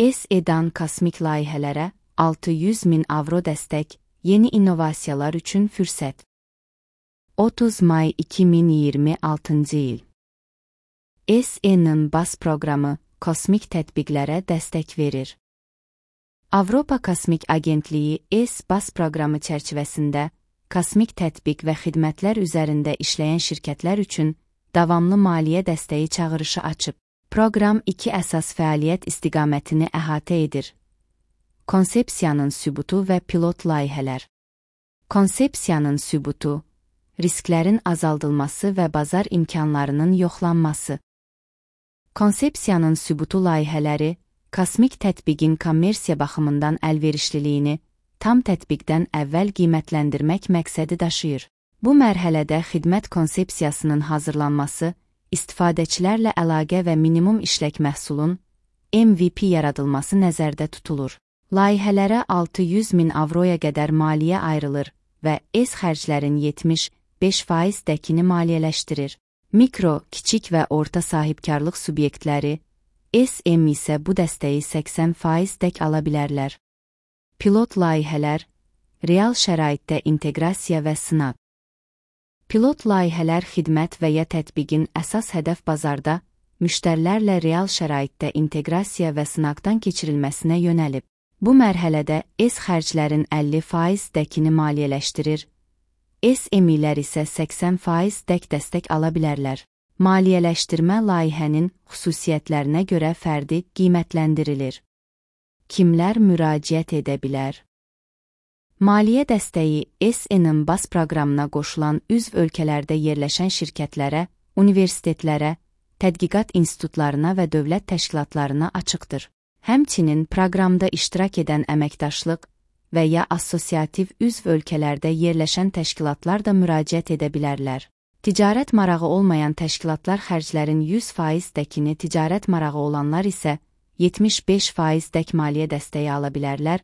ES-EDAN kosmik layihələrə 600 min avro dəstək, yeni innovasiyalar üçün fürsət. 30 may 2026 il. ES-EN-in BAS proqramı kosmik tətbiqlərə dəstək verir. Avropa Kosmik Agentliyi ES-BAS proqramı çərçivəsində kosmik tətbiq və xidmətlər üzərində işləyən şirkətlər üçün davamlı maliyyə dəstəyi çağırışı açıb. Proqram iki əsas fəaliyyət istiqamətini əhatə edir. Konsepsiyanın sübutu və pilot layihələr. Konsepsiyanın sübutu, risklərin azaldılması və bazar imkanlarının yoxlanması. Konsepsiyanın sübutu layihələri, kosmik tətbiqin kommersiya baxımından əlverişliliyini tam tətbiqdən əvvəl qiymətləndirmək məqsədi daşıyır. Bu mərhələdə xidmət konsepsiyasının hazırlanması, istifadəçilərlə əlaqə və minimum işlək məhsulun MVP yaradılması nəzərdə tutulur. Layihələrə 600 min avroya qədər maliyyə ayrılır və ES xərclərin 75% dəkini maliyyələşdirir. Mikro, kiçik və orta sahibkarlıq subyektləri, SM isə bu dəstəyi 80% dək ala bilərlər. Pilot layihələr, real şəraitdə inteqrasiya və sınaq. Pilot layihələr xidmət və ya tətbiqin əsas hədəf bazarda, müştərilərlə real şəraitdə inteqrasiya və sınaqdan keçirilməsinə yönəlib. Bu mərhələdə ES xərclərin 50% dəkini maliyyələşdirir, SMİlər isə 80% dək dəstək ala bilərlər. Maliyyələşdirmə layihənin xüsusiyyətlərinə görə fərdi qiymətləndirilir. Kimlər müraciət edə bilər? Maliyyə dəstəyi ES-EN-in BAS proqramına qoşulan üzv ölkələrdə yerləşən şirkətlərə, universitetlərə, tədqiqat institutlarına və dövlət təşkilatlarına açıqdır. Həmçinin proqramda iştirak edən əməkdaşlıq və ya assosiativ üzv ölkələrdə yerləşən təşkilatlar da müraciət edə bilərlər. Ticarət marağı olmayan təşkilatlar xərclərin 100% dəkini, ticarət marağı olanlar isə 75% dək maliyyə dəstəyi ala bilərlər,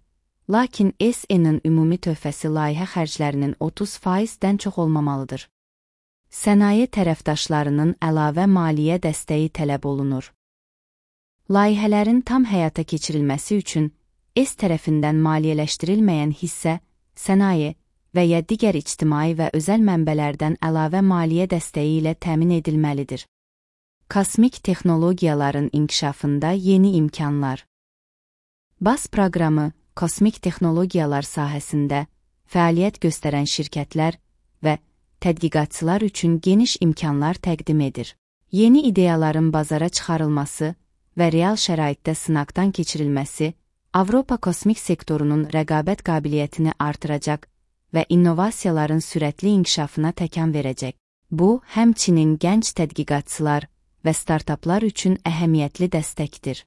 lakin ES-EN-in ümumi töhfəsi layihə xərclərinin 30%-dən çox olmamalıdır. Sənaye tərəfdaşlarının əlavə maliyyə dəstəyi tələb olunur. Layihələrin tam həyata keçirilməsi üçün ES tərəfindən maliyyələşdirilməyən hissə, sənaye və ya digər ictimai və özəl mənbələrdən əlavə maliyyə dəstəyi ilə təmin edilməlidir. Kosmik texnologiyaların inkişafında yeni imkanlar. BAS proqramı kosmik texnologiyalar sahəsində fəaliyyət göstərən şirkətlər və tədqiqatçılar üçün geniş imkanlar təqdim edir. Yeni ideyaların bazara çıxarılması və real şəraitdə sınaqdan keçirilməsi Avropa kosmik sektorunun rəqabət qabiliyyətini artıracaq və innovasiyaların sürətli inkişafına təkan verəcək. Bu, həmçinin gənc tədqiqatçılar və startaplar üçün əhəmiyyətli dəstəkdir.